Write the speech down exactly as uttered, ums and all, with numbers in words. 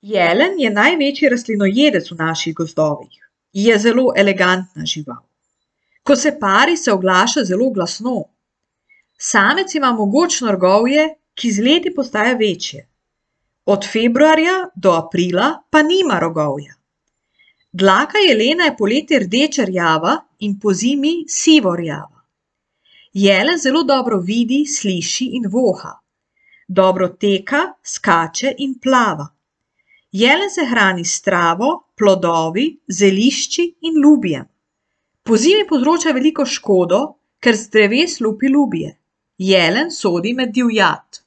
Jelen je največji rastlinojedec v naših gozdovih. Je zelo elegantna žival. Ko se pari, se oglaša zelo glasno. Samec ima mogočno rgovje, ki z leti postaja večje. Od februarja do aprila pa nima rogovja. Dlaka jelena je poleti rdeče rjava in pozimi sivo rjava. Jelen zelo dobro vidi, sliši in voha. Dobro teka, skače in plava. Jelen se hrani s travo, plodovi, zelišči in lubjem. Pozimi povzroča veliko škodo, ker z dreves lupi lubje. Jelen sodi med divjad.